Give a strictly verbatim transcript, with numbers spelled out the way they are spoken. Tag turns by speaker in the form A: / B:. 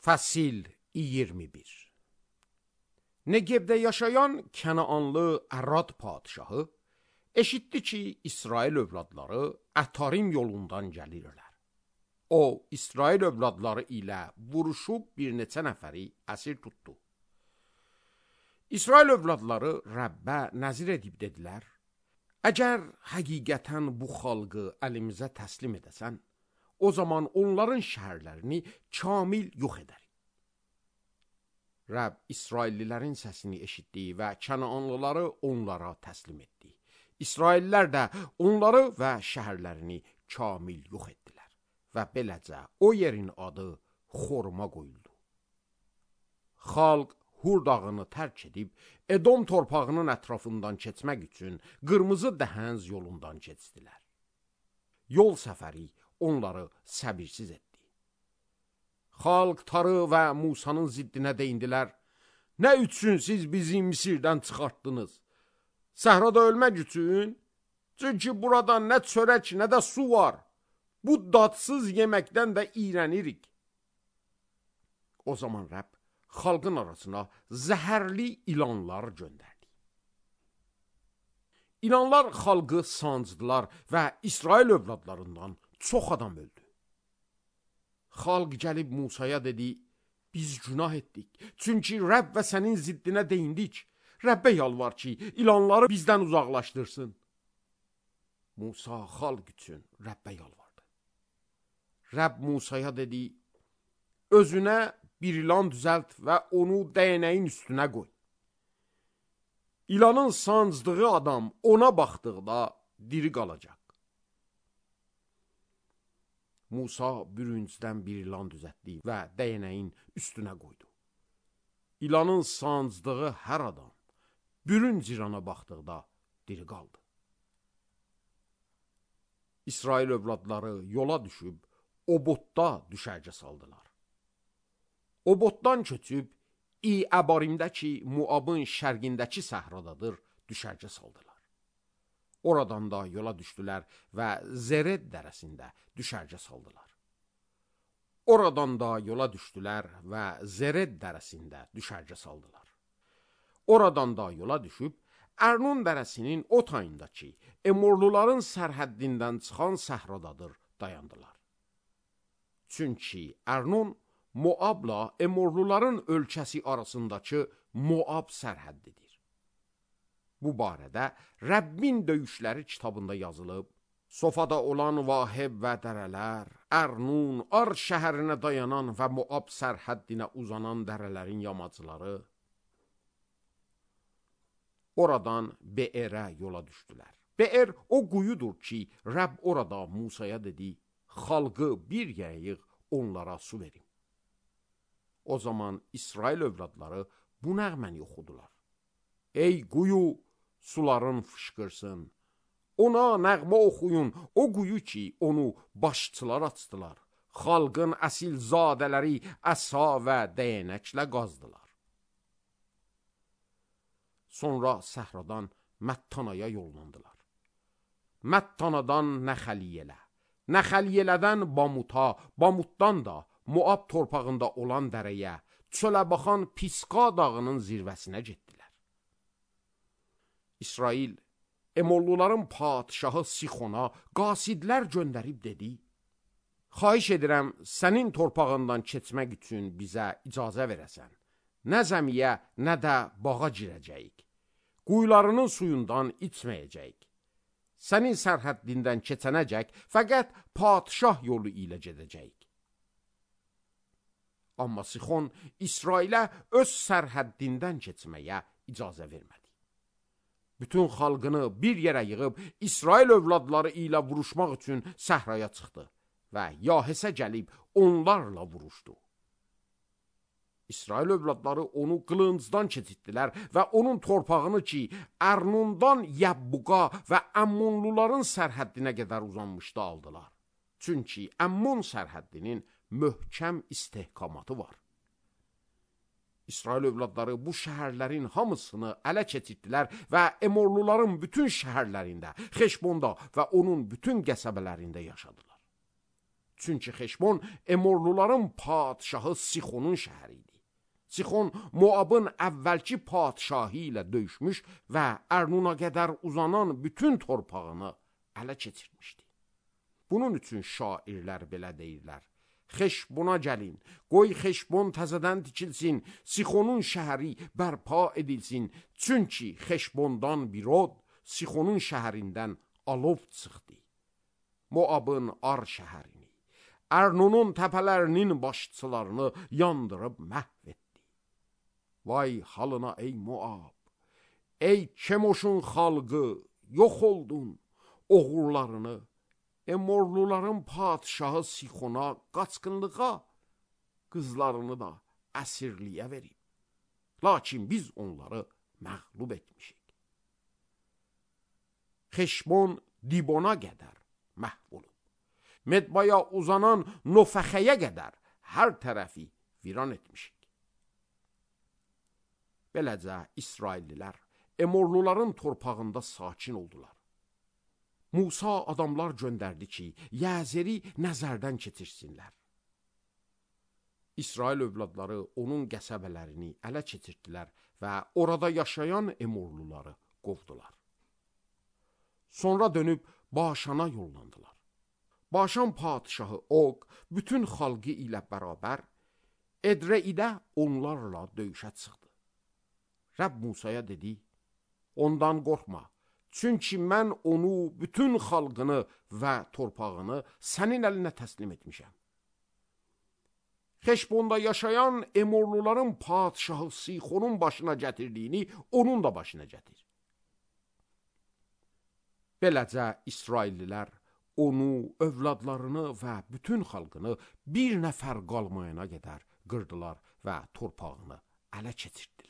A: Fəsil iyirmi bir. Negevdə yaşayan Kənaanlı Ərad padişahı eşitdi ki, İsrail övladları Ətarim yolundan gəlirlər. O, İsrail övladları ilə vuruşub bir neçə nəfəri əsir tutdu. İsrail övladları Rəbbə nəzir edib dedilər, əgər həqiqətən bu xalqı əlimizə təslim edəsən, o zaman onların şəhərlərini kamil yox edərik. Rəbb İsraillilərin səsini eşitdi və Kənaanlıları onlara təslim etdi. İsraillilər də onları və şəhərlərini kamil yox etdilər və beləcə o yerin adı Xorma qoyuldu. Xalq Hur dağını tərk edib Edom torpağının ətrafından keçmək üçün qırmızı dəhənz yolundan keçdilər. Yol səfəri onları səbirsiz etdi. Xalq Tarı və Musanın ziddinə deyindilər, nə üçün siz bizi Misirdən çıxartdınız? Səhrada ölmək üçün? Çünki burada nə çörək, nə də su var. Bu dadsız yeməkdən də iyrənirik. O zaman Rəbb xalqın arasına zəhərli ilanlar göndərdi. İlanlar xalqı sancdılar və İsrail övladlarından çox adam öldü. Xalq gəlib Musaya dedi, biz günah etdik. Çünki Rəbb və sənin ziddinə deyindik. Rəbbə yalvar ki, ilanları bizdən uzaqlaşdırsın. Musa xalq üçün Rəbbə yalvardı. Rəbb Musaya dedi, özünə bir ilan düzəlt və onu dəyənəyin üstünə qoy. İlanın sancdığı adam ona baxdıqda diri qalacaq. Musa bürüncdən bir ilan düzəltdi və dəyənəyin üstünə qoydu. İlanın sancdığı hər adam bürünc ilana baxdıqda diri qaldı. İsrail övladları yola düşüb Obotda düşərgə saldılar. Obotdan köçüb İ-Əbarimdəki Muabın şərqindəki səhradadır düşərgə saldılar. Oradan da yola düşdülər və Zered dərəsində düşərgə saldılar. Oradan da yola düşdülər və Zered dərəsində düşərgə saldılar. Oradan da yola düşüb Ərnun dərəsinin o tayındakı Emorluların sərhəddindən çıxan səhradadır dayandılar. Çünki Ərnun Moabla Emorluların ölkəsi arasındakı Moab sərhəddidir. Bu barədə Rəbbin döyüşləri kitabında yazılıb, Sofada olan Vaheb və dərələr, Ərnun, Ar şəhərinə dayanan və Moab sərhəddinə uzanan dərələrin yamacları, oradan Beerə yola düşdülər. Beer o quyudur ki, Rəbb orada Musaya dedi, xalqı bir yerə yığ, onlara su verin. O zaman İsrail övladları bu nəğməni oxudular. Ey quyu, suların fışqırsın. Ona nəğmə oxuyun, o quyu ki, onu başçılar açdılar. Xalqın əsil zadələri əsa və dəyənəklə qazdılar. Sonra səhradan Məttanaya yollandılar. Məttanadan Nəxəliyələ, Nəxəliyələdən Bamuta, Bamutdan da Moab torpağında olan dərəyə, çölə baxan Pisqa dağının zirvəsinə getdilər. İsrail, Emorluların padişahı Sixona qasidlər göndərib dedi, xahiş edirəm, sənin torpağından keçmək üçün bizə icazə verəsən. Nə zəmiyə, nə də bağa girəcəyik. Quyularının suyundan içməyəcəyik. Sənin sərhəddindən keçənəcək, fəqət padişah yolu ilə gedəcəyik. Amma Sixon İsrailə öz sərhəddindən keçməyə icazə vermədi. Bütün xalqını bir yerə yığıb İsrail övladları ilə vuruşmaq üçün səhraya çıxdı və Yahesə gəlib onlarla vuruşdu. İsrail övladları onu qılıncdan keçitdilər və onun torpağını ki, Ərnundan Yəbbuqa və Əmmonluların sərhəddinə qədər uzanmışdı aldılar. Çünki Əmmon sərhəddinin möhkəm istehkamatı var. İsrail övladları bu şəhərlərin hamısını ələ keçirdilər və Emorluların bütün şəhərlərində, Xeşbonda və onun bütün qəsəbələrində yaşadılar. Çünki Xeşbon Emorluların padşahı Sixonun şəhəri idi. Sixon Moabın əvvəlki padşahı ilə döyüşmüş və Ərnuna qədər uzanan bütün torpağını ələ keçirmişdi. Bunun üçün şairlər belə deyirlər: Xeşbona gəlin, qoy Xeşbon təzədən tikilsin, Sixonun şəhəri bərpa edilsin. Çünki Xeşbondan bir od, Sixonun şəhərindən alov çıxdı. Moabın Ar şəhərini, Ərnunun təpələrinin başçılarını yandırıb məhv etdi. Vay halına ey Moab, ey Kemoşun xalqı, yox oldun, oğullarını Emorluların padşahı Sixona qaçqınlığa, qızlarını da əsirliyə verib. Lakin biz onları məğlub etmişik. Xeşbon Dibona qədər məhv olub. Medbaya uzanan Nofəxəyə qədər hər tərəfi viran etmişik. Beləcə İsraillilər Emorluların torpağında sakin oldular. Musa adamlar göndərdi ki, Yəzeri nəzərdən keçirsinlər. İsrail övladları onun qəsəbələrini ələ keçirdilər və orada yaşayan Emorluları qovdular. Sonra dönüb Başana yollandılar. Başan padşahı Og bütün xalqı ilə bərabər Edreidə onlarla döyüşə çıxdı. Rəbb Musaya dedi: ondan qorxma. Çünki mən onu, bütün xalqını və torpağını sənin əlinə təslim etmişəm. Xeşbonda yaşayan Emorluların padşahı Sixonun başına gətirdiyini onun da başına gətir. Beləcə İsraillilər onu, övladlarını və bütün xalqını bir nəfər qalmayana qədər qırdılar və torpağını ələ keçirdilər.